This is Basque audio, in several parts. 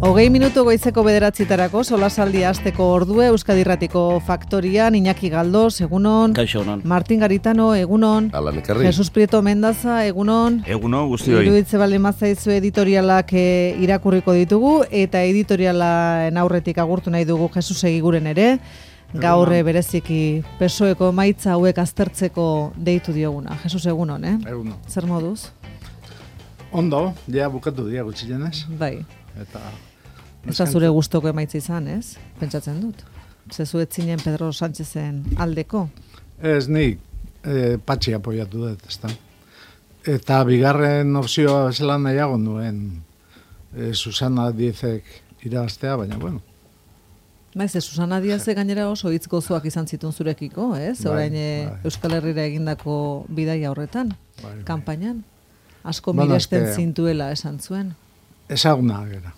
20 minutu goizeko 9:00 solasaldia hasteko ordue Euskadi Irratiko Faktorian Iñaki Galdos, egunon. Kaixo, egunon. Martin Garitano, egunon. Alan Ekarri. Jesus Prieto Mendaza, egunon. Egunon, guztioi. Iruditze baldin bazaizu editorialak irakurriko ditugu eta editorialen aurretik agurtu nahi dugu Jesus Egiguren ere. Gaur bereziki PSOEko emaitza hauek aztertzeko deitu dioguna. Jesus, egunon, Egunon. Zer moduz? Ondo, ja bukatu dira gutxienez. Bai. Eta Ez da zure gustoko emaitza izan, ez? Pentsatzen dut. Zezu ez zinen Pedro Sánchezen aldeko? Ez nik patxi apoiatu dut, ezta. Eta bigarren opzioa bezala nahiago nuen Susana Diezek irabaztea, baina bueno. Baiz, Susana Diezek gainera oso hitz gozoak izan zituen zurekiko, ez? Orain Euskal Herrira egindako bidaia horretan, kanpainan. Asko miresten zintuela esan zuen. Ezaguna gara.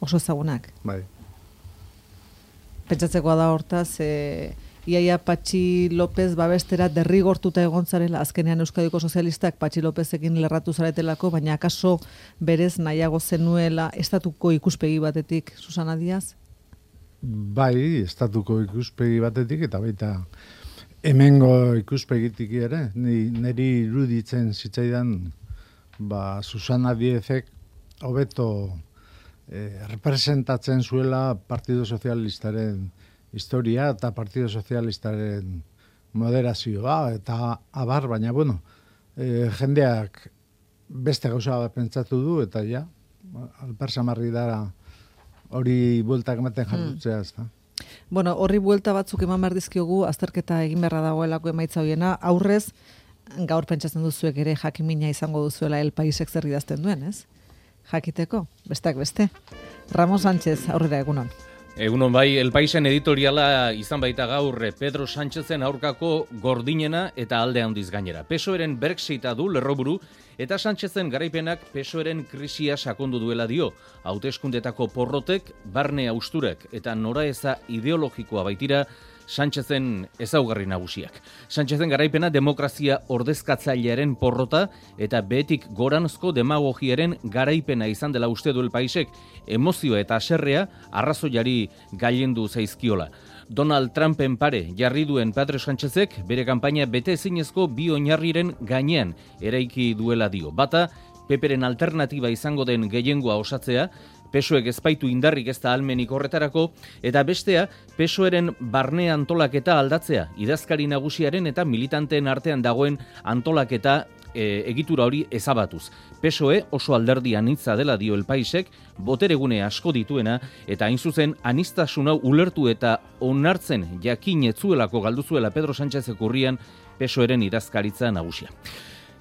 Oso ezagunak. Bai. Pentsatzekoa da hortaz, iaia Patxi López babestera derrigortuta egon zarela, azkenean Euskadiko sozialistak Patxi Lópezekin lerratu zaretelako, baina akaso berez nahiago zenuela estatuko ikuspegi batetik, Susana Díaz? Bai, estatuko ikuspegi batetik eta baita hemengo ikuspegitik ere, niri iruditzen zitzaidan Susana Diezek hobeto representatzen zuela Partido Sozialistaren historia eta Partido Sozialistaren moderazioa eta abar, baina bueno, jendeak beste gauza pentsatu du eta ja, alpersamarri dara hori bueltak ematen jardutzea, ez da. Bueno, horri buelta batzuk eman behar dizkiogu, azterketa egin beharra dagoelako emaitza hoiena, aurrez, gaur pentsatzen duzuek ere jakimina izango duzuela El Paisek zer idazten duen, ez? Jakiteko, besteak beste. Ramon Sánchez, aurrera egunon. Egunon bai, El Paisen editoriala izan baita gaur Pedro Sánchezen aurkako gordinena eta alde handiz gainera. PSOEren Brexita du lerroburu eta Sánchezen garaipenak PSOEren krisia sakondu duela dio. Hauteskundetako porrotek, barne hausturek eta noraeza ideologikoa baitira Sánchezen ezaugarri nagusiak. Sánchezen garaipena demokrazia ordezkatzailearen porrota eta behetik goranzko demagogiaren garaipena izan dela uste du El Paisek, emozio eta haserrea arrazoiari gailendu zaizkiola. Donald Trumpen pare jarri duen Pedro Sánchezek bere kanpaina bete ezinezko bi oinarriren gainean eraiki duela dio. Bata, PPren alternatiba izango den gehiengoa osatzea, PSOEk ezpaitu indarrik ez da almenik horretarako, eta bestea, PSOEren barne antolaketa aldatzea, idazkari nagusiaren eta militanteen artean dagoen antolaketa egitura hori ezabatuz. PSOE oso alderdi anitza dela dio El Paisek, boteregune asko dituena, eta hain zuzen aniztasun hau ulertu eta onartzen jakin etzuelako galduzuela Pedro Sánchezek urrian PSOEren idazkaritza nagusia.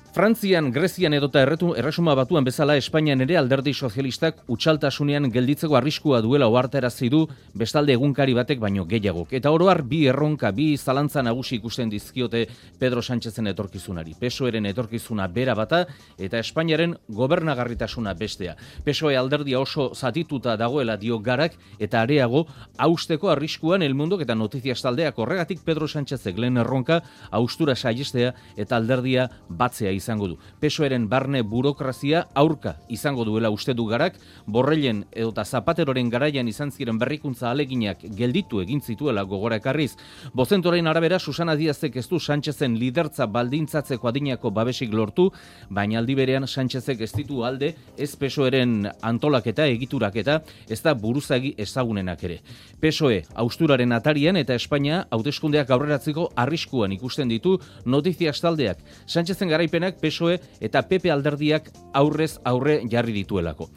Frantzian, Grezian edota erresuma batuan bezala Espainian ere alderdi sozialistak utxaltasunean gelditzeko arriskua duela ohartarazi du bestalde egunkari batek baino gehiagok. Eta oro har bi erronka, bi zalantza nagusi ikusten dizkiote Pedro Sánchezen etorkizunari. PSOEren etorkizuna bera bata eta Espainiaren gobernagarritasuna bestea. PSOE alderdia oso zatituta dagoela dio Garak eta areago hausteko arriskuan El Mundok eta Notizias taldeak. Horregatik Pedro Sánchezek lehen erronka haustura saihestea eta alderdia batzea izango du. PSOEren barne burokrazia aurka izango duela uste du Garak, Borrellen edota Zapateroren garaian izan ziren berrikuntza aleginak gelditu egin zituela gogora ekarriz. Bozentoren arabera Susana Díazek ez du Sánchezen lidertza baldintzatzeko adinako babesik lortu, baina aldi berean Sánchezek ez ditu alde ez PSOEren antolaketa egituraketa, ez da buruzagi ezagunenak ere. PSOE hausturaren atarian eta Espainia hauteskundeak aurreratzeko arriskuan ikusten ditu Notizias taldeak. Sánchezen garaipenak PSOE eta PP alderdiak aurrez aurre jarri dituelako.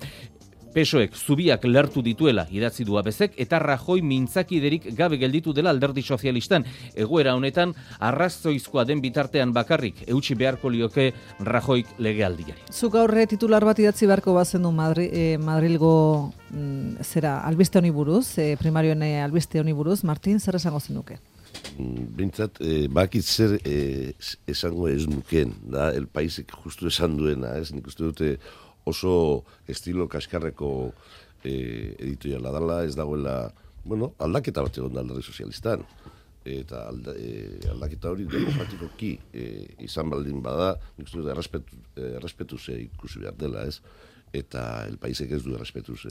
PSOEk zubiak lertu dituela idatzi du Abezek eta Rajoy mintzakiderik gabe gelditu dela alderdi sozialistan. Egoera honetan arrazoizkoa den bitartean bakarrik eutsi beharko lioke Rajoyk legealdiari. Zuk aurre titular bat idatzi beharko bazendu Madrilgo albiste honi buruz, primarioen albiste honi buruz, Martin, zer esango zenuke? Bintzat, bakit zer esango ez nuken, da, El Paisek justu esan duena, ez? Nik uste dute oso estilo kaskarreko editoriala dela, ez dagoela, bueno, aldaketa bat egon da alderdi sozialistan. Eta aldaketa hori demokratikoki izan baldin bada, nik uste dut errespetuz ikusi behar dela, ez? eta El Paisek ez du errespetuz.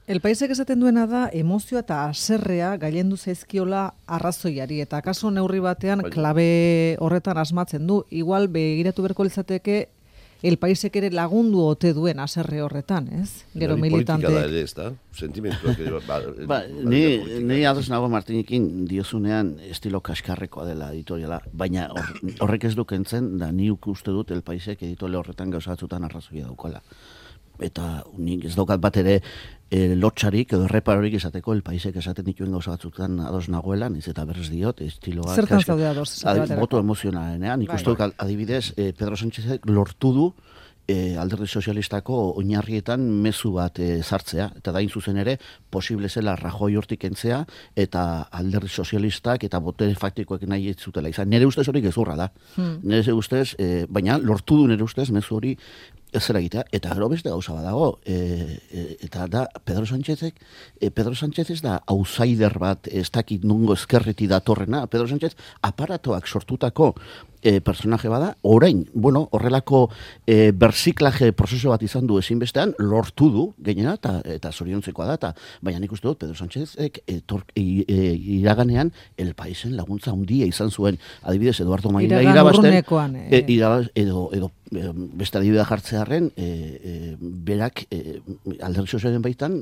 El Paisek esaten duena da, emozioa eta haserrea gailendu zaizkiola arrazoiari, eta kaso neurri batean klabe horretan asmatzen du. Igual begiratu berko litzateke El Paisek ere lagundu ote duen haserre horretan, ez? Gero militanteek. Politika da ere, ez da? Sentimentuak ere. Ni ados nago Martinekin diozunean estilo kaskarrekoa dela editoriala, baina horrek ez du kentzen, da ni uste dut El Paisek editore horretan gauza batzutan arrazoia daukala. Eta nik ez daukat bat ere lotxarik edo erreparorik esateko El Paisek esaten dituen gauza batzutan ados nagoela, niz eta berrez diot, estiloa... Zertan zaude ados? Boto emozionalenean, nik uste dut adibidez, Pedro Sánchezek lortu du Alderdi Sozialistako oinarrietan mezu bat sartzea, eta da zuzen ere, posible zela Rajoy hortik entzea, eta Alderdi Sozialistak eta botere faktikoek nahi ez zutela izan. Nere ustez hori gezurra da. Nere ustez, baina lortu du nere ustez mezu hori ez zera egitea, eta gero beste gauza badago, eta da Pedro Sánchez ez da outsider bat, ez dakit nungo ezkerreti datorrena, Pedro Sánchez aparatoak sortutako personaje bada, orain, horrelako berziklaje prozeso bat izan du ezinbestean, lortu du, gainera, eta zoriontzekoa da, baina nik uste dut, Pedro Sánchezek iraganean El Paisen laguntza handia izan zuen, adibidez, Eduardo Maila irabazten, edo beste adibidea jartzearen, berak Alderdi Sozialaren baitan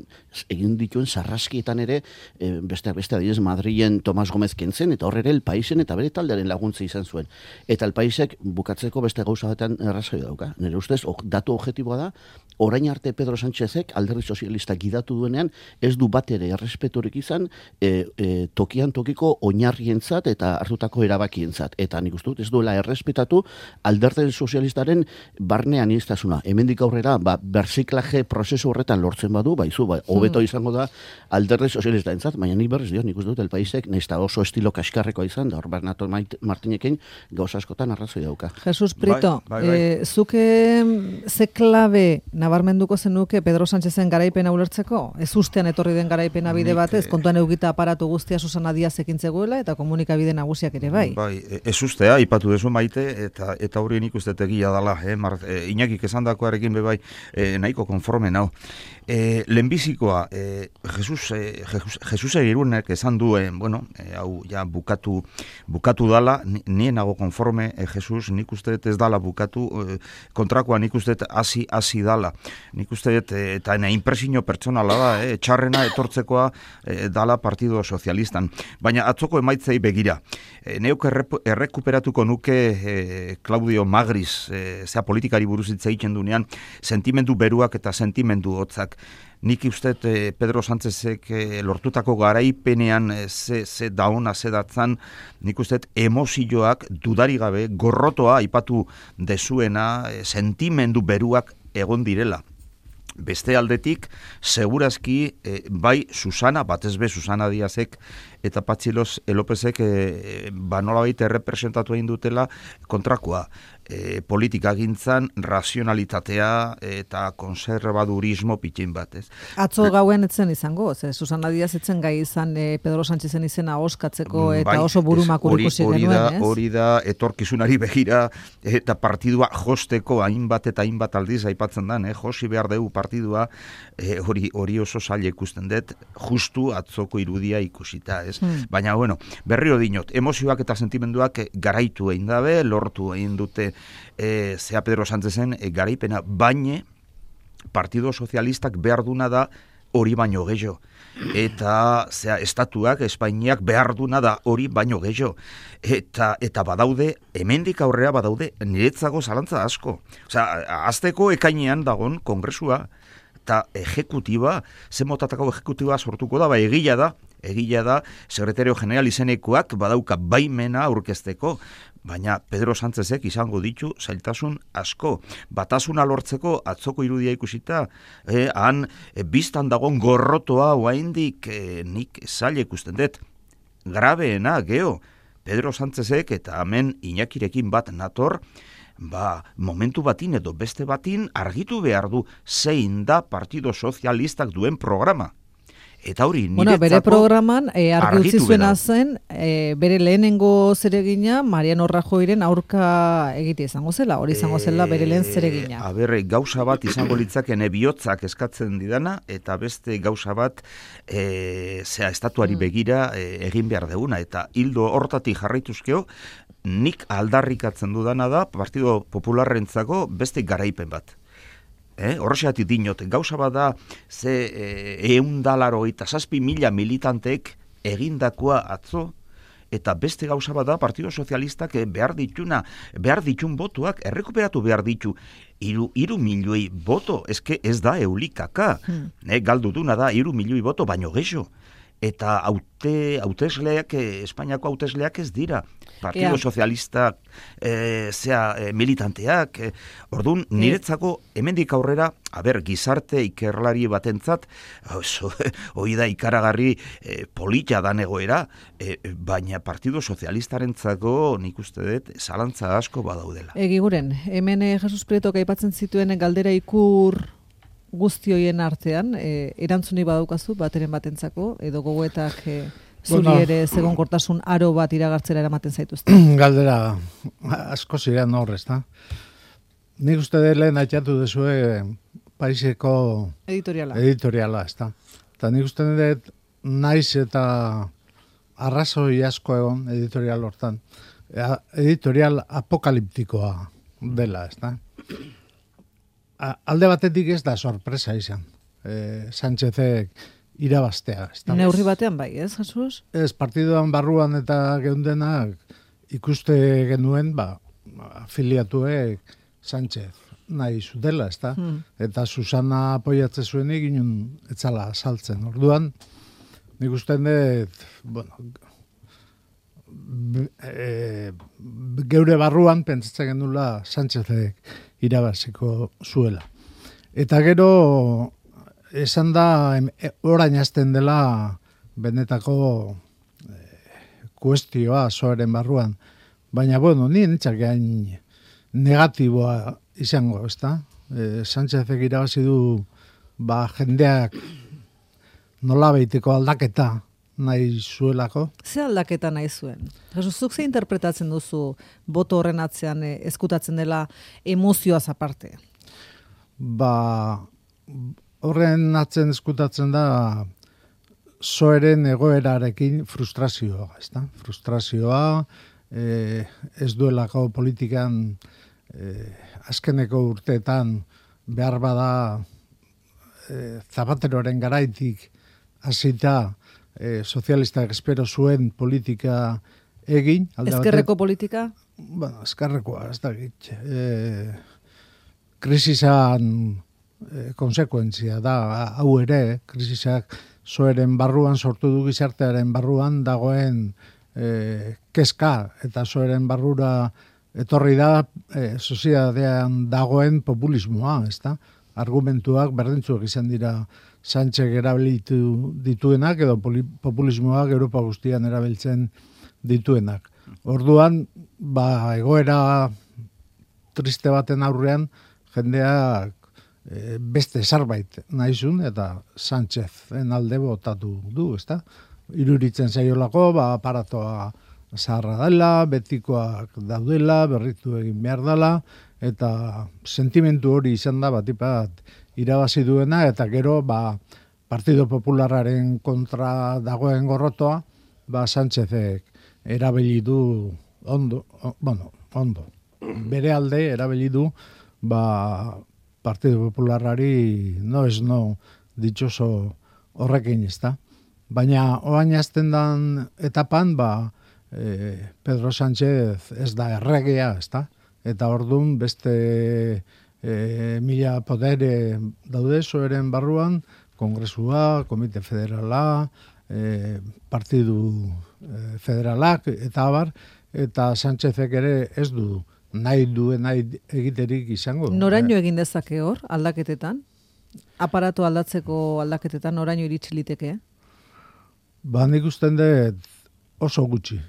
egin dituen sarraskietan ere, beste adibidez Madrilen Tomas Gómez kentzen, eta horre ere El Paisen eta bere taldearen laguntza izan zuen. Eta El Paisek bukatzeko beste gauza batean errazoi dauka. Nire ustez, datu objektiboa da, orain arte Pedro Sánchezek Alderdi Sozialista gidatu duenean, ez du bat ere errespeturik izan tokian tokiko oinarrientzat eta hartutako erabakientzat. Eta nik uste dut, ez duela errespetatu Alderdi Sozialistaren barnean iztasuna. Hemendik aurrera, berziklaje prozesu horretan lortzen badu, hobeto izango da Alderdi Sozialista entzat, baina nik berriz dio, nik uste dut El Paisek, nesta oso estilo kaskarrekoa izan, da hor Bernardo Martinekin gauza askotan arrazoi dauka. Jesus Prieto, zuke ze klabe nabarmenduko zenuke Pedro Sánchezen garaipena ulertzeko? Ez ustean etorri den garaipena bide batez, kontuan eugita aparatu guztia Susana Díaz ekintzegoela eta komunikabide nagusiak ere bai. Bai, ez ustea, ipatu dezu Maite, eta hori nik uste tegia dala, Iñakik esandakoarekin bebai nahiko konforme nau. Lehenbizikoa, Jesus Egirunek esan duen, hau ja bukatu dala, nien nago konforme, Jesus, nik uste ez dala bukatu, kontrakoa nik uste hasi dala. Nik uste eta impresio pertsonala da, txarrena etortzekoa dala Partido Sozialistan. Baina atzoko emaitzei begira. Neuk errekuperatuko nuke Claudio Magris, zea politikari buruz hitz egiten dunean, sentimendu beruak eta sentimendu hotzak. Nik uste Pedro Sánchezek lortutako garaipenean ze daona, ze datzan, nik uste emozioak dudari gabe, gorrotoa aipatu dezuena, sentimendu beruak egon direla. Beste aldetik, segurazki, bai Susana, batez be Susana Díazek eta Patxi Lópezek nolabait errepresentatu egin dutela kontrakoa. Politika gintzan, razionalitatea eta konservadurismo pitxin batez. Atzo gauen etzen izango, Susana Díaz etzen gai izan Pedro Sánchezen izena oskatzeko eta oso burumakur ikusi genuen, ez? Hori da, etorkizunari begira eta partidua josteko hainbat eta hainbat aldiz aipatzen dan, josi behar dugu partidua, hori oso zaila ikusten dut, justu atzoko irudia ikusita, ez? Baina, berriro dinot, emozioak eta sentimenduak garaitu egin dabe, lortu egin dute zea Pedro Sánchezen garaipena, baina Partido Sozialistak behar duna da hori baino gehiago. Eta estatuak, Espainiak behar duna da hori baino gehiago. Eta badaude, hemendik aurrera badaude, niretzago zalantza asko. Azteko ekainean dagon kongresua, eta ejekutiba, zen motatako ejekutiba sortuko da, egia da, Secretario General izenekoak badauka baimena aurkezteko, baina Pedro Sánchezek izango ditu zailtasun asko. Batasuna lortzeko atzoko irudia ikusita, han biztan dagon gorrotoa oraindik nik zaila ikusten dut. Grabeena, Pedro Sánchezek eta hemen Iñakirekin bat nator, momentu batin edo beste batin argitu behar du zein da Partido Sozialistak duen programa. Eta hori, Bueno, bere programan argi utzi zuena gera. zen, bere lehenengo zeregina Mariano Rajoyren aurka egite izango zela, hori izango zela bere lehen zeregina. Gauza bat izango litzakene bihotzak eskatzen didana, eta beste gauza bat estatuari begira egin behar deguna, eta hildo hortatik jarraituzkeo, nik aldarrikatzen dudana da Partido Popularrentzako beste garaipen bat. Horrexeatik dinot, gauza bat da ze 187.000 militanteek egindakoa atzo, eta beste gauza bat da Partido Sozialistak behar ditun botuak errekuperatu behar ditu. 3 milioi boto, ez da eulikaka. Galdu duna da 3 milioi boto, baino geixo. Eta hautesleak, Espainiako hautesleak ez dira. Partido Sozialistak militanteak. Orduan, niretzako hemendik aurrera, gizarte ikerlari batentzat, hoi da ikaragarri polita dan egoera, baina Partido Sozialistarentzako nik uste dut zalantza asko badaudela. Egiguren, hemen Jesus Prietok aipatzen zituen galdera ikur guzti hoien artean, erantzuni badaukazu bateren batentzako, edo gogoetak zuri ere zegonkortasun aro bat iragartzera eramaten zaituzte. Galdera asko ziren hor, ezta? Nik uste dut lehen aitatu dezue Paiseko editoriala, ezta? Eta nik uste dut naiz eta arrazoi asko egon editorial hortan. Editorial apokaliptikoa dela, ezta? Alde batetik ez da sorpresa izan. Sánchezek irabaztea. Neurri batean bai, ez, Jesus? Ez, partiduan barruan eta geundenak ikuste genuen, afiliatuek Sánchez nahi zutela, ez da? Eta Susana apoiatze zuenik inun etzala saltzen. Orduan, nik usten dut, geure barruan pentsatzen genula Sánchezek irabaziko zuela. Eta gero, esan da, orain hasten dela benetako kuestioa zoaren barruan. Baina, ni nintzak gain negatiboa izango, ez da? Sánchezek irabazi du, jendeak nola behiteko aldaketa nahi zuelako. Ze aldaketa nahi zuen? Zuk ze interpretatzen duzu boto horren atzean eskutatzen dela emozioaz aparte? Horren atzen eskutatzen da zoeren egoerarekin frustrazioa, ezta? Frustrazioa, ez duelako politikan azkeneko urteetan behar bada Zapateroren garaitik hasita sozialistak espero zuen politika egin. Ezkerreko politika? Ezkerrekoa, ez da gitz. Krisisan konsekuentzia da, hau ere, krisisak zoeren barruan, sortu du gizartearen barruan, dagoen kezka, eta zoeren barrura etorri da, sozietatean dagoen populismoa, ez da? Argumentuak berdintzuak izan dira Sánchez erabilitu dituenak, edo populismoak Europa guztian erabiltzen dituenak. Orduan, egoera triste baten aurrean, jendeak beste zerbait nahizun, eta Sánchezen alde botatu du, ezta? Iruritzen zaiolako, aparatoa zaharra dela, betikoak daudela, berritu egin behar dela, eta sentimentu hori izan da batipat irabazi duena, eta gero Partido Popularraren kontra dagoen gorrotoa, Sánchezek erabili du ondo. Bere alde erabili du Partido Popularrari ditxoso horrekin, ezta? Baina oain azten dan etapan, Pedro Sánchez ez da erregea, ezta? Eta orduan beste mila podere daude zoeren barruan, Kongresua, Komite Federala, Partidu Federalak, eta abar, eta Sánchezek ere ez du nahi egiterik izango. Noraino egin dezake hor, aldaketetan? Aparato aldatzeko aldaketetan noraino iritsi liteke? Nik usten dut oso gutxi.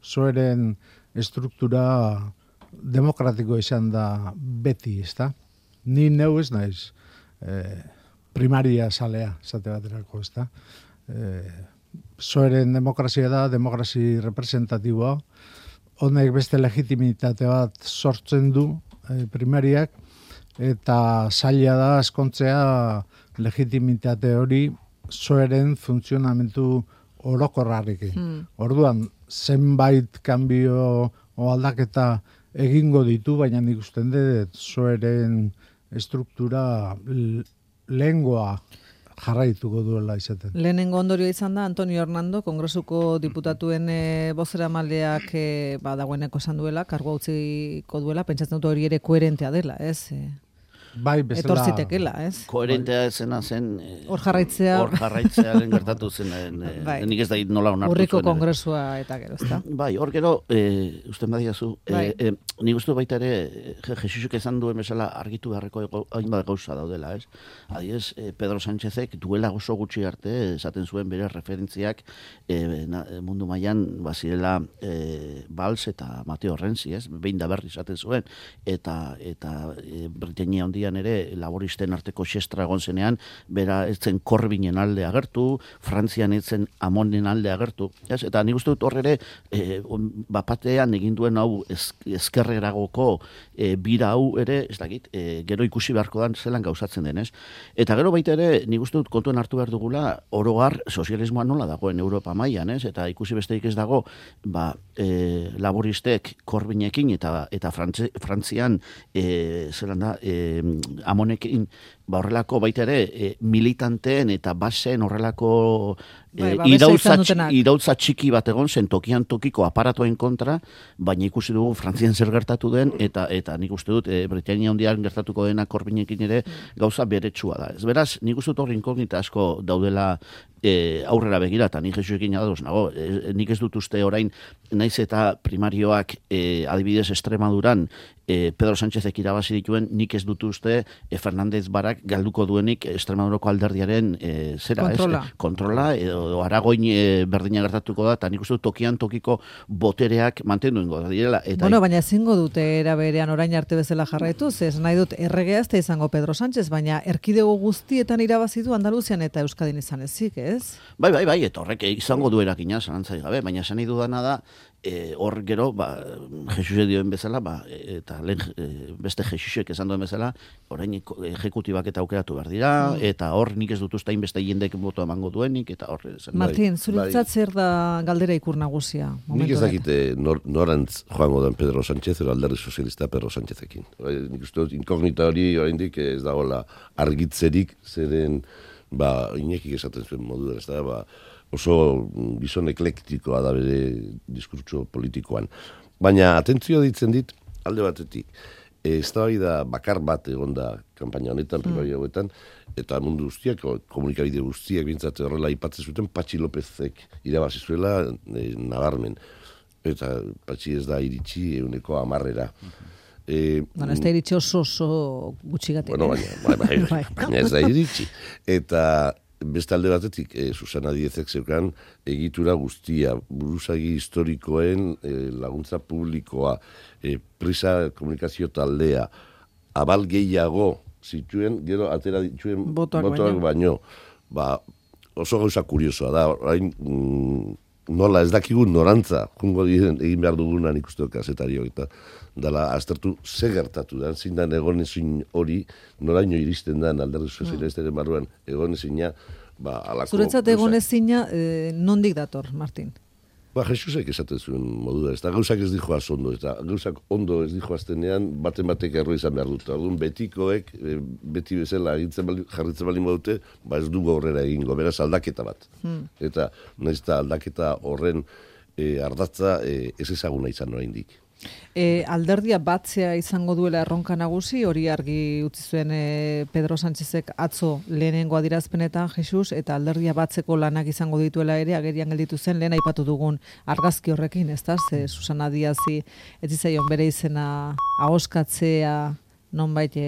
Zoeren estruktura demokratiko izan da beti, ezta? Ni neu ez naiz primaria salea, esate baterako, ez da. PSOEren demokrazia da, demokrazi representatiboa, honek beste legitimitate bat sortzen du primariak, eta zaila da askontzea legitimitate hori PSOEren funtzionamentu orokorrarekin. Orduan, zenbait kanbio o aldaketa egingo ditu, baina nik usten dut PSOEren estruktura lehengoa jarraituko duela izaten. Lehenengo ondorio izan da Antonio Hernando, Kongresuko diputatuen bozeramaileak dagoeneko esan duela, kargua utziko duela, pentsatzen dut hori ere koherentea dela, ez? Bai, bezala... Etorzitekela, ez? Koherentea zena zen... Hor jarraitzearen gertatu zen, nik ez da nola onartu zuen. Urriko kongresua eta gero, ezta? Bai, hor gero, uste badiazu, nik uste baita ere, Jesusuk esan duen bezala argitu beharreko hainbat gauza daudela, ez? Adiez, Pedro Sánchezek duela oso gutxi arte, esaten zuen bere referentziak mundu mailan bazirela Valls eta Mateo Renzi, ez? Behin da berri esaten zuen, eta Britainia handian ere laboristen arteko xestra egon zenean, bera etzen Corbinen alde agertu, Frantzian etzen Amonen alde agertu, ez? Eta nik uste dut hor ere bapatean egin duen hau ezkerreragoko bira hau ere, ez dakit, gero ikusi beharko dan zelan gauzatzen denez. Eta gero baita ere, nik uste dut kontuen hartu behar dugula, orogar sozialismoa nola dagoen Europa mailan, ez? Eta ikusi besteik ez dago, laboristek Corbinekin eta Frantzian zelan da, Amonekin, horrelako baita ere militanteen eta basen horrelako irautza txiki bat egon zen tokian tokiko aparatoen kontra, baina ikusi dugu Frantzian zer gertatu den, eta nik uste dut Britainia handian gertatuko dena Corbinekin ere gauza beretsua da. Ez beraz, nik uste dut hor inkognita asko daudela aurrera begira, eta nik Jesuekin ados nago, nik ez dut uste orain, naiz eta primarioak adibidez Extremaduran Pedro Sánchezek irabazi dituen, nik ez dut uste Fernández Barak galduko duenik Extremadurako alderdiaren kontrola, edo Aragoin berdina gertatuko da, eta nik uste dut tokian tokiko botereak mantendu ingo da direla. Baina ezingo dute eraberean orain arte bezala jarraitu, ez nahi dut erregea ez da izango Pedro Sánchez, baina erkidego guztietan irabazi du Andaluzian eta Euskadin izan ezik, ez? Bai, eta horrek izango du erakina, zalantzai gabe, baina esan nahi dudana da, hor gero, Jesus dioen bezala, eta beste Jesusek esan duen bezala, orain ejekutibak eta aukeratu behar dira, eta hor nik ez dut ustein beste jendek boto emango duenik, eta hor... Martín, zuretzat zer da galdera ikur nagusia? Nik ez dakite norantz joango den Pedro Sánchez, edo alderdi sozialista Pedro Sánchezekin. Nik uste dut inkognita hori oraindik ez dagoela argitzerik, zeren inekik esaten zuen modu ez da, oso gizon eklektikoa da bere diskurtso politikoan. Baina atentzioa ditzen dit, alde batetik, eztabaida bakar bat egon da kanpaina honetan, primaria hauetan, eta mundu guztiak, komunikabide guztiak bintzat horrela aipatzen zuten, Patxi Lópezek irabazi zuela nabarmen. Eta Patxi ez da iritsi 100%. Ez da iritsi oso gutxigatik. Baina ez da iritsi. Eta beste alde batetik, Susana Díezek zeukan egitura guztia, buruzagi historikoen laguntza publikoa, Prisa komunikazio taldea, abal gehiago zituen, gero atera dituen botoak baino. Oso gauza kuriosoa da, orain nola ez dakigun norantza, jungo diren egin behar dugunan ikusteko kazetariok, eta dala aztertu ze gertatu da, zindan egonezin hori, noraino iristen da alderdi sozialistaren barruan egonezina, alako... Zuretzat egonezina, nondik dator, Martin? Jesusek esaten zuen modura, ez da gauzak ez dijoaz ondo, ez da gauzak ondo ez dijoaztenean, batek erro izan behar dut. Orduan betikoek, beti bezala jarritzen bali modute, ez dugu aurrera egingo, beraz aldaketa bat. Eta nahiz eta aldaketa horren ardatza ez ezaguna izan oraindik. Alderdia batzea izango duela erronka nagusi, hori argi utzi zuen Pedro Sánchezek atzo lehenengo adierazpenetan Jesus, eta alderdia batzeko lanak izango dituela ere agerian gelditu zen lehen aipatu dugun argazki horrekin, ezta? Susana Díazi ez zitzaion bere izena ahoskatzea nonbait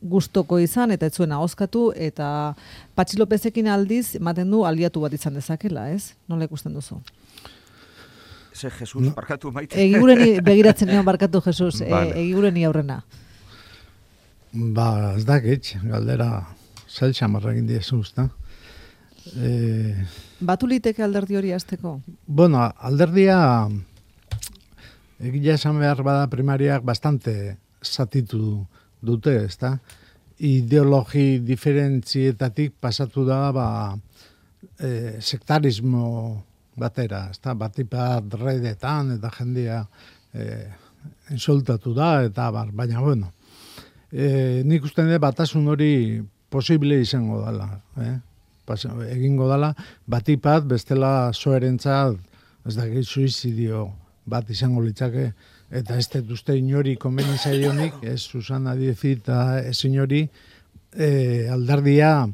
gustoko izan eta ez zuen ahoskatu, eta Patxi Lópezekin aldiz ematen du aliatu bat izan dezakela, ez? Nola ikusten duzu? Jesus, barkatu maite. Egigureni begiratzen egon barkatu Jesus, egigureni aurrena. Ez dakit, galdera zail xamarra egin diezu, ezta? Batu liteke alderdi hori azteko? Bueno, alderdia egia esan behar bada primariak bastante zatitu dute, ezta? Ideologi diferentzietatik pasatu da sektarismo batera, ezta? Batipat redetan eta jendia insultatu da, eta baina bueno. Nik uste dut batasun hori posible izango dela, egingo dela, batipat bestela soerentzat, ez da suizidio bat izango litzake, eta ez dut uste inori konbeni zaionik, ez Susana Díez eta ez inori alderdia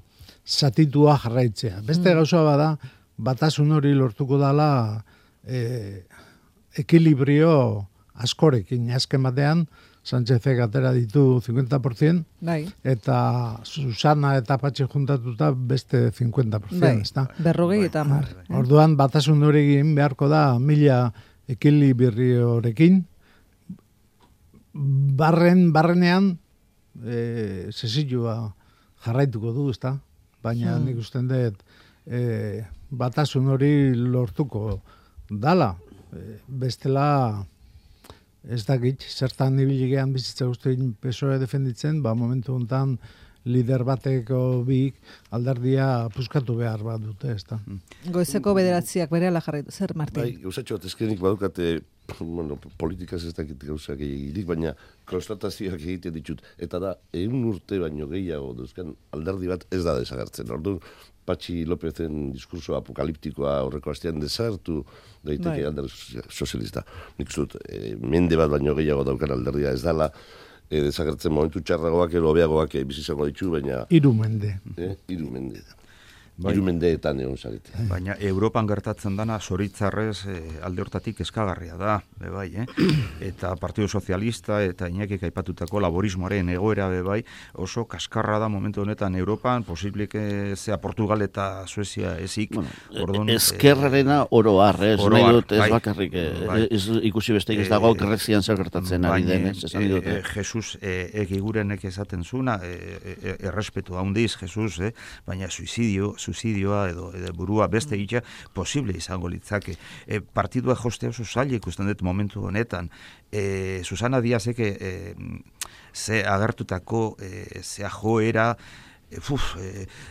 zatitua jarraitzea. Beste gauza bada, batasun hori lortuko dela ekilibrio askorekin, azken batean, Sánchezek atera ditu 50%, bai. Eta Susana eta Patxi juntatuta beste 50%. Bai. Ezta? 40 eta 10. Orduan batasun horrekin beharko da 1000 ekilibriorekin, barrenean sesilloa jarraituko du, ezta? Baina nik usten dut batasun hori lortuko dala. Bestela ez dakit, zertan ibiligean bizitza guztien PSOE defenditzen, momentu honetan lider bateko bik alderdia puskatu behar bat dute, ez da. Goizeko bederatziak berehala jarraitu, zer, Martin? Bai, gauzatxo bat ezkenik badukate, politikaz ez dakit gauzak egirik, baina konstatazioak egiten ditut. Eta da, 100 urte baino gehiago duzkan alderdi bat ez da desagertzen. Orduan, Patxi Lópezen diskurso apokaliptikoa horreko astean desartu daiteke alderdi sozialista. Nik zut, mende bat baino gehiago daukan alderdia ez dala, desagertzen momentu txarragoak edo hobeagoak bizizango ditu, baina... 3 mende. 3 mende. Bai. 3 mendeetan egon zarete. Baina Europan gertatzen dana zoritzarrez alde hortatik eskagarria da, bai, Eta Partido Sozialista eta Iñakik aipatutako laborismoaren egoera bai, oso kaskarra da momentu honetan Europan, posibleke zea Portugal eta Suezia ezik. Bueno, ezkerrarena oro har, nahi dut ez bakarrik, ikusi besteik ez dago Grezian zer gertatzen ari denez, esan dut. Jesus egigurenek esaten zuna, errespetu handiz, Jesus, baina suizidioa edo burua beste egitea posible izango litzake. Partidua jostea oso zaila ikusten dut momentu honetan. Susana Díazek ze agertutako zea joera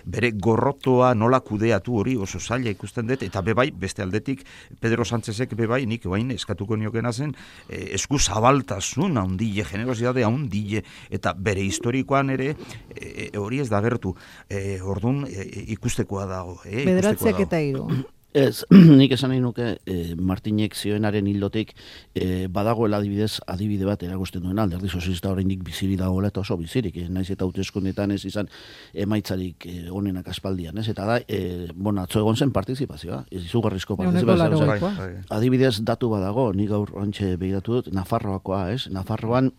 bere gorrotoa nola kudeatu hori oso zaila ikusten dut, eta bebai, beste aldetik, Pedro Sánchezek bebai, nik bain eskatuko niokena zen, esku zabaltasun handile, generosidade handile, eta bere historikoan ere, hori ez da gertu. Orduan, ikustekoa dago. Bederatziak eta 3. Ez, nik esan nahi nuke Martinek zioenaren hildotik badagoela adibide bat erakusten duen alderdi sozialista oraindik bizirik dagoela eta oso bizirik, naiz eta hauteskundeetan ez izan emaitzarik onenak aspaldian, ez? Eta da, atzo egon zen partizipazioa, izugarrizko partizipazioa. Adibidez datu badago, nik gaur ontxe begiratu dut, Nafarroakoa, ez? Nafarroan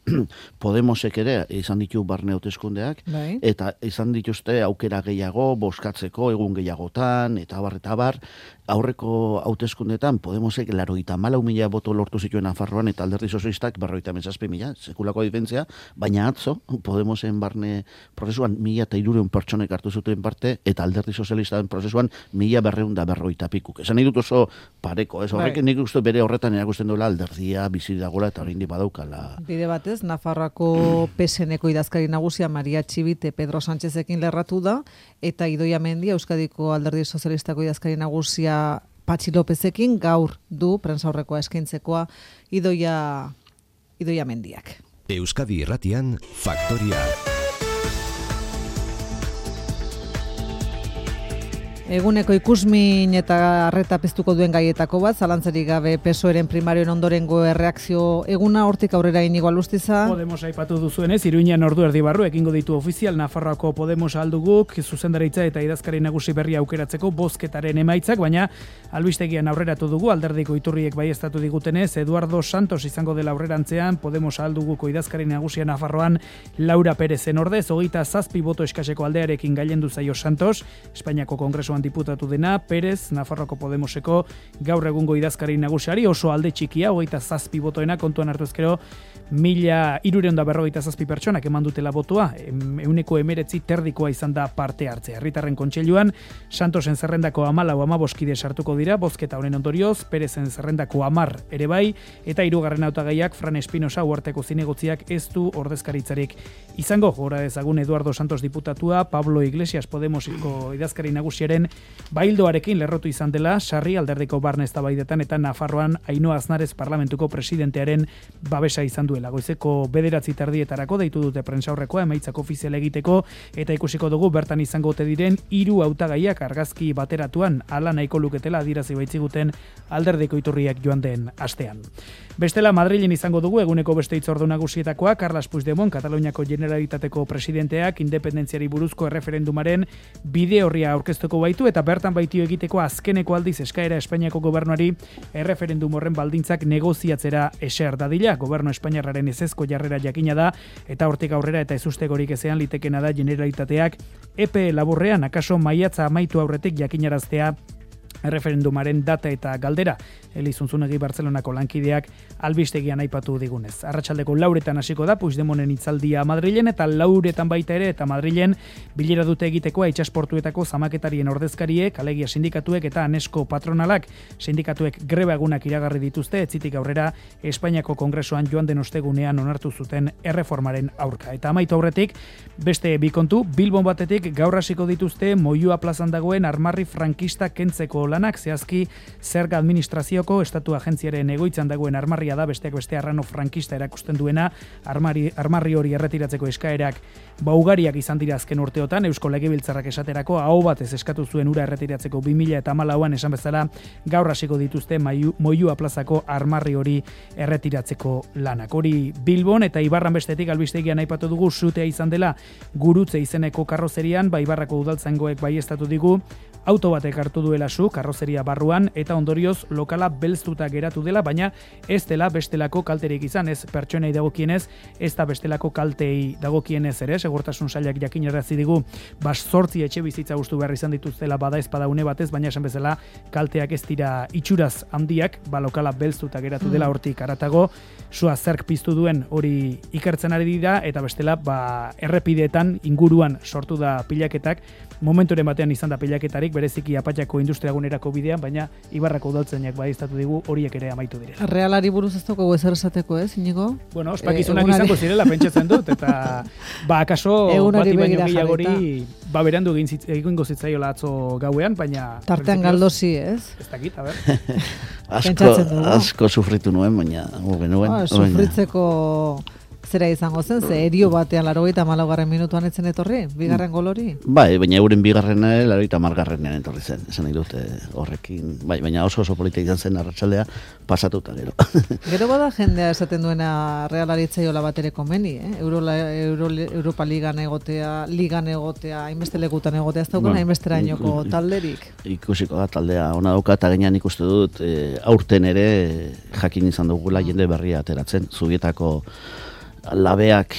Podemosek ere izan ditu barne hauteskundeak, eta izan dituzte aukera gehiago, bozkatzeko egun gehiagotan, eta bar, aurreko hauteskundetan Podemosek 84.000 boto lortu zituen Nafarroan eta alderdi sozialistak 57.000, sekulako diferentzia, baina atzo Podemosen barne prozesuan 1.300 pertsonek hartu zuten parte eta alderdi sozialistaren prozesuan 1.250 pikuk. Esan nahi dut oso pareko, ez? Horrek nik uste bere horretan erakusten duela alderdia bizi dagoela eta oraindik badaukala. Bide batez, Nafarroako PSN-eko idazkari nagusia Maria Txibite Pedro Sánchezekin lerratu da, eta Idoia Mendia Euskadiko alderdi sozialistako idazkari nagusia Patxi Lópezekin gaur du prentsaurrekoa eskaintzekoa Idoia Mendiak. Euskadi Irratian Faktoria. Eguneko ikusmin eta arreta piztuko duen gaietako bat, zalantzarik gabe PSOEren primarioen ondorengo erreakzio eguna, hortik aurrera Inigo Alustiza. Podemos aipatu duzuenez, Iruñan ordu erdi barru egingo ditu ofizial Nafarroako Podemos alduguk, zuzendaritza eta idazkari nagusi berria aukeratzeko bozketaren emaitzak, baina albistegian aurreratu dugu, alderdiko iturriek baieztatu digutenez, Eduardo Santos izango dela aurrerantzean, Podemos alduguko idazkari nagusia Nafarroan Laura Perezen ordez, 27 boto eskaseko aldearekin gailendu zaio Santos, Espainiako Kongresuan diputatu dena, Perez, Nafarroako Podemoseko gaur egungo idazkari nagusiari oso alde txikia, 27 botoena kontuan hartu ezkero, 1.347 pertsonak eman dutela botoa, 19% terdikoa izan da parte hartzea. Herritarren kontseiluan, Santosen zerrendako 14 kide sartuko dira, bozketa honen ondorioz, Perezen zerrendako 10 ere bai, eta 3. hautagaiak Fran Espinosa uarteko zinegotziak ez du ordezkaritzarik izango. Gora ezagun Eduardo Santos diputatua, Pablo Iglesias Podemosiko idazkari nagusiaren baildoarekin lerrotu izan dela, sarri alderdiko barne eztabaidetan eta Nafarroan Ainhoa Aznarez parlamentuko presidentearen babesa izan duela. Goizeko 9:30 deitu dute prentsaurrekoa emaitzak ofizial egiteko eta ikusiko dugu bertan izango ote diren 3 hautagaiak argazki bateratuan hala nahiko luketela adierazi baitziguten alderdiko iturriak joan den astean. Bestela Madrilen izango dugu eguneko beste hitzordu nagusietakoa Carles Puigdemont, Kataluniako Generalitateko presidenteak independentziari buruzko erreferendumaren bide horria aurkeztuko baitu eta bertan baitio egiteko azkeneko aldiz eskaera Espainiako gobernuari erreferendum horren baldintzak negoziatzera eser dadila. Gobernu espainiarraren ezezko jarrera jakina da eta hortik aurrera eta ezustegorik ezean litekena da Generalitateak epe laburrean akaso maiatza amaitu aurretik jakinaraztea erreferendumaren data eta galdera. Elizuntzunegi Bartzelonako lankideak albistegian aipatu digunez. Arratsaldeko 4etan hasiko da Puigdemonten hitzaldia Madrilen eta 4etan baita ere eta Madrilen bilera dute egitekoa itsasportuetako zamaketarien ordezkariek, alegia sindikatuek eta anesko patronalak. Sindikatuek greba egunak iragarri dituzte etzitik aurrera Espainiako Kongresoan joan den ostegunean onartu zuten erreformaren aurka. Eta amaitu aurretik beste bi kontu, Bilbon batetik gaur hasiko dituzte Moyua plazan dagoen armarri frankista kentzeko lanak, zehazki zerga administrazioko estatu agentziaren egoitzan dagoen armarria da, besteak beste arrano frankista erakusten duena, armarri hori erretiratzeko eskaerak ugariak izan dira azken urteotan, Eusko Legebiltzarrak esaterako aho batez eskatu zuen ura erretiratzeko 2014an esan bezala gaur hasiko dituzte Moyua plazako armarri hori erretiratzeko lanak. Hori Bilbon eta Ibarran bestetik albistegian aipatu dugu sutea izan dela Gurutze izeneko karrozerian, Ibarrako udaltzaingoek baieztatu digu auto batek hartu duela su karrozeria barruan eta ondorioz lokala belztuta geratu dela, baina ez dela bestelako kalterik izan, ez pertsonei dagokienez, ez da bestelako kaltei dagokienez ere, segurtasun sailak jakinarazi digu, 8 etxe bizitza hustu behar izan dituztela bada ezpada une batez, baina esan bezala kalteak ez dira itxuraz handiak, lokala belztuta geratu dela hortik aratago, sua zerk piztu duen hori ikertzen ari dira eta bestela errepideetan inguruan sortu da pilaketak, momenturen batean izan da pilaketarik, bereziki Apatxako industriagunerako bidean, baina Ibarrako udaltzainak baieztatu digu horiek ere amaitu direla. Realari buruz ez daukagu ezer esateko, Inigo? Bueno, ospakizunak izango zirela pentsatzen dut, eta akaso bati baino gehiagori berandu egingo zitzaiola atzo gauean, baina... Tartean galdozi, ez? Ez dakit, a ber. Asko sufritu nuen, baina... Sufritzeko... Zera izango zen, ze erio batean 84. minutuan etzen etorri, bigarren gol hori? Bai, baina euren bigarrena 80. etorri zen, esan nahi dute horrekin, bai, baina oso politika izan zen arratsaldea pasatuta gero. Gero bada jendea esaten duena Realari etzaiola bat ere komeni, Europa Ligan egotea, hainbeste lekutan egotea, ez daukana hainbesterainoko talderik. Ikusiko da, taldea ona dauka, eta gainean ikuste dut, aurten ere jakin izan dugula jende berria ateratzen, Zubietako labeak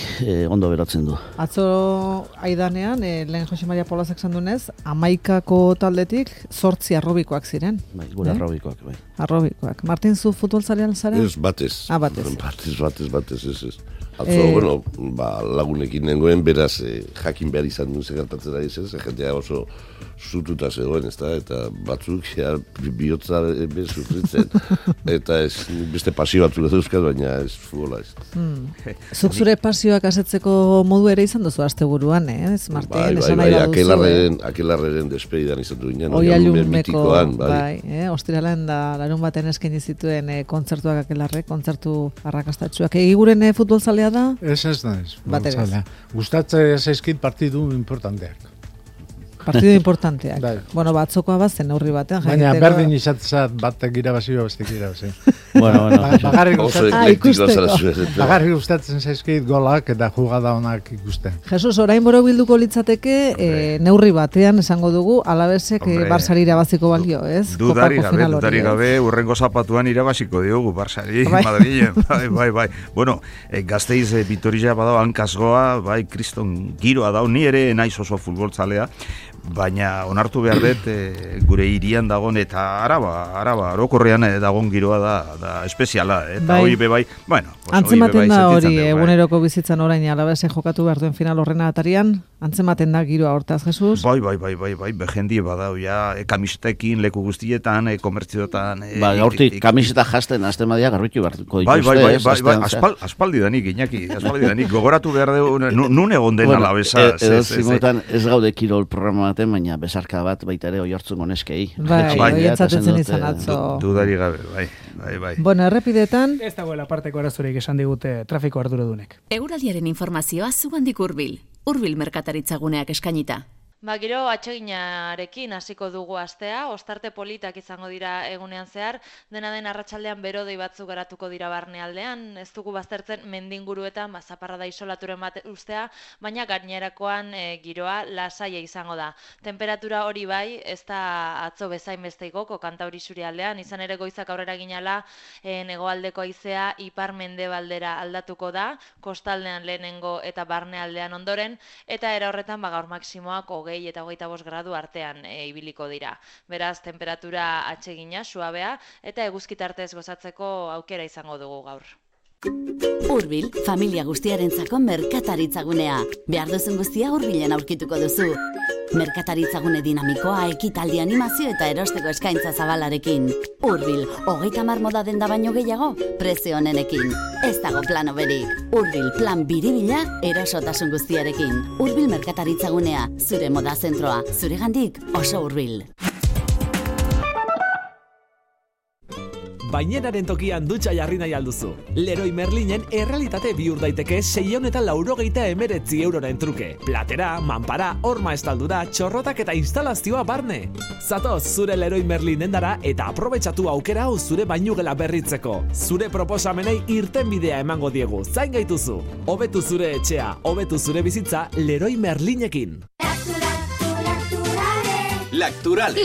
ondo berotzen du. Atzo aidanean, lehen Jose Maria Polazak zandunez, 11ko taldetik 8 arrobikoak ziren. Bai, gure arrobikoak, bai. Arrobikoak. Martin, zu futbolzalean zara? Ez, batez. Batez. Ez. Atzo, lagunekin nengoen, beraz, jakin behar izan duen segertatzera izan, jendea oso zututa zegoen, eta batzuk bihotza sufritzen, eta ez beste pasio batzuk dauzkat, baina ez futbola ez. Zuk zure pasioak asetzeko modu ere izan duzu asteburuan, ez? Martin, esan nahi baduzu. Akelarreren despedidan izan du ginen, Oialunmeko, ostiralen da larun baten eskaini zituen kontzertuak Akelarrek, kontzertu arrakastatsuak. Egiguren futbol zalea da? Ez naiz. Gustatzen zaizkit partidu importanteak. Partido importanteak. Bueno, batzokoa bazen neurri batean. Baina berdin izatzat batek irabazio, bestek irabazio. Bagarri gustatzen zaizkit golak eta jugada onak ikusten. Jesus, orain borobilduko litzateke neurri batean esango dugu Alavesek Barsari irabaziko balio, ez? Dudari gabe, urrengo zapatuan irabaziko diogu Barsari, Madrilen. Bai. Bueno, Gasteiz Vitoria badao hankasgoa, bai, kriston giroa dau, ni ere naiz oso futboltzalea, baina onartu behar dut gure hirian dagoen eta araba orokorrean dagoen giroa da espeziala, eta hori bebai, bueno, antzematen da hori eguneroko bizitzan orain Alavesen jokatu behar duen final horrena atarian, antzematen da giroa hortaz, Jesus? Bai, behendie badau, ja, kamisetekin, leku guztietan, komertzioetan... Gaurtik kamiseta jasten, azten badia garbitu beharko dituzte. Bai, aspaldi danik, Iñaki, gogoratu behar dugu, nun egon den Alavesa. Edo zimuetan ez gaude kirol programa baten, baina besarka bat baita ere oihartzun goneskei. Bai, oientzaten izan atzo. Dudari gabe, bai. Bueno, errepidetan... Ez dagoela parteko arazorik esan digute trafiko arduradunek. Eguraldiaren informazioa zugandik Hurbil merkataritzaguneak eskainita. Gero atseginarekin hasiko dugu astea, ostarte politak izango dira egunean zehar, dena den arratsaldean berodei batzuk garatuko dira barnealdean, ez dugu baztertzen mendinguruetan zaparrada isolaturen bat ustea, baina gainerakoan giroa lasaia izango da. Temperatura hori bai, ez da atzo bezain beste igoko Kantauri isurialdean, izan ere goizak aurrera ginala hegoaldeko haizea ipar-mendebaldera aldatuko da, kostaldean lehenengo eta barnealdean ondoren, eta era horretan gaur maksimoak 20 eta 25 gradu artean ibiliko dira. Beraz, temperatura atsegina, suabea, eta eguzkitartez gozatzeko aukera izango dugu gaur. Hurbil, familia guztiarentzako merkataritzagunea. Behar duzun guztia Hurbilen aurkituko duzu. Merkataritzagune dinamikoa, ekitaldi, animazio eta erosteko eskaintza zabalarekin. Hurbil, 30 moda denda baino gehiago, prezio honenekin. Ez dago plano berik. Hurbil, plan biribila, erosotasun guztiarekin. Hurbil merkataritzagunea, zure moda zentroa, zuregandik oso hurbil. Bainenaren tokian dutxa jarri nahi alduzu. Leroy Merlinen errealitate bihur daiteke 689 euroren truke. Platera, manpara, horma estaldura, txorrotak eta instalazioa barne. Zatoz zure Leroy Merlin endara eta aprobetxatu aukera hau zure bainugela berritzeko. Zure proposamenei irtenbidea emango diegu, zain gaituzu. Hobetu zure etxea, hobetu zure bizitza Leroy Merlinekin. Lacturale.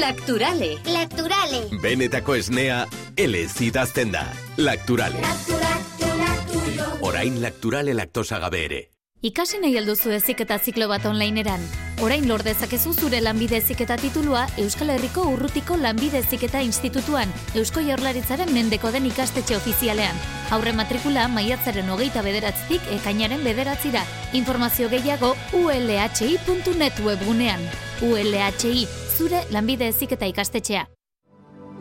Benetako esnea, elez idazten da. Lacturale. Orain Lacturale laktosa gabe ere. Ikasi nahi alduzu heziketa ziklo bat onlineeran. Orain lor dezakezu zure lanbide heziketa titulua Euskal Herriko Urrutiko Lanbide Heziketa Institutuan, Eusko Jaurlaritzaren mendeko den ikastetxe ofizialean. Aurre matrikula maiatzaren 29tik ekainaren 9ra. Informazio gehiago ulhi.net webgunean. ULHI, zure lanbide heziketa ikastetxea.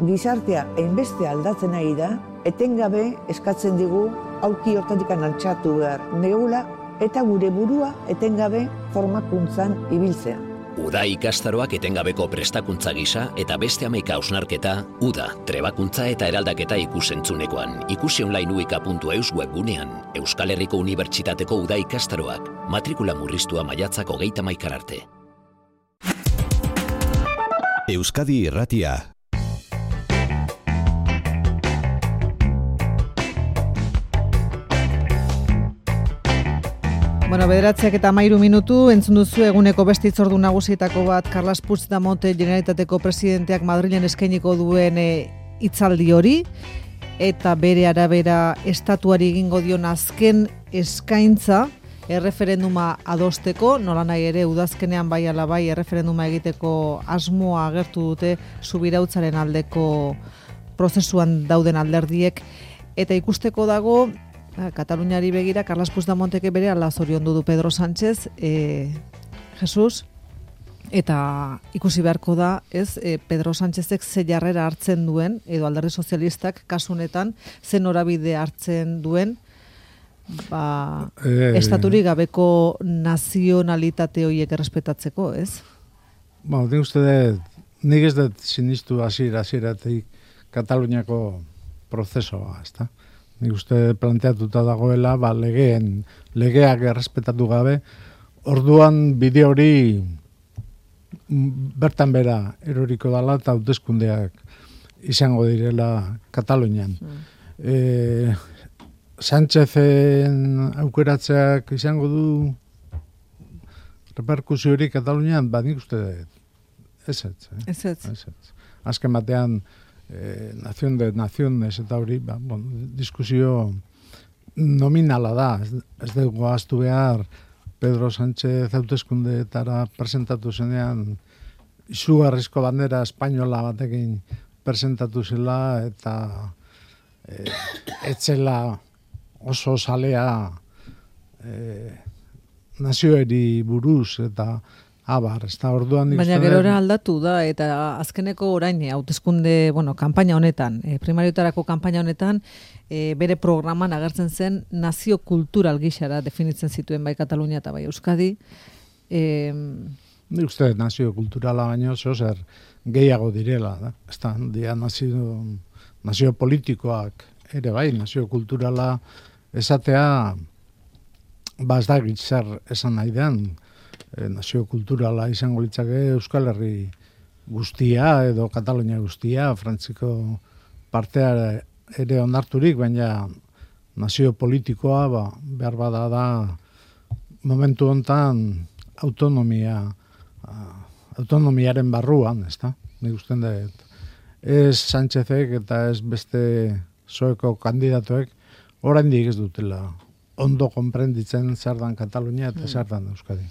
Gizartea hainbeste aldatzen ari da, etengabe eskatzen digu aulki hortatik altxatu behar negula eta gure burua etengabe formakuntzan ibiltzea. Uda ikastaroak etengabeko prestakuntza gisa eta beste 11 hausnarketa, Uda, trebakuntza eta eraldaketa ikusentzuneko ikusi online uika.eus webgunean, Euskal Herriko Unibertsitateko Uda ikastaroak, matrikula murriztua maiatzak 31 arte. Euskadi Irratia. Bueno, 9:13 minutu, entzun duzu eguneko beste hitzordu nagusietako bat Carles Puigdemont Generalitateko presidenteak Madrilen eskainiko duen hitzaldi hori, eta bere arabera estatuari egingo dion azken eskaintza erreferenduma adosteko, nola nahi ere udazkenean bai ala bai erreferenduma egiteko asmoa agertu dute subirautzaren aldeko prozesuan dauden alderdiek, eta ikusteko dago Kataluniari begira, Carles Puigdemontek bere ala zoriondu du Pedro Sánchez, Jesus, eta ikusi beharko da, Pedro Sánchezek ze jarrera hartzen duen, edo alderdi sozialistak kasunetan, ze norabide hartzen duen, estaturik gabeko nazionalitate horiek errespetatzeko, ez? Nik uste dut, nik ez dut sinistu hasieratik Kataluniako prozesoa, ezta? Nik uste planteatuta dagoela, legeak errespetatu gabe, orduan bide hori bertan bera eroriko dela eta hauteskundeak izango direla Katalunian. Sánchezen aukeratzeak izango du reperkusio hori Katalunian, nik uste ez. Azken batean, nazion de naziones eta hori, diskusio nominala da. Ez dugu ahaztu behar Pedro Sánchez hauteskundeetara presentatu zenean izugarrizko bandera espainola batekin presentatu zela, eta etzela oso salea nazioeri buruz, eta abar, ez da orduan... Baina gerora aldatu da, eta azkeneko orain, hauteskunde, kanpaina honetan, primariotarako kanpaina honetan, bere programan agertzen zen nazio kultural gixara definitzen zituen bai Katalunia eta bai Euskadi. Nik uste nazio kulturala baino zer gehiago direla, da? Ez da, nazio politikoak ere bai, nazio kulturala esatea, ez da zer esan nahi den, nazio kulturala izango litzake Euskal Herri guztia edo Katalunia guztia, Frantziko partea ere onarturik, baina nazio politikoa behar bada da momentu hontan autonomiaren barruan, ez da? Nik usten da, ez Sánchezek eta ez beste zoeko kandidatuek oraindik ez dutela ondo konprenditzen zer dan Katalunia eta zer dan Euskadi.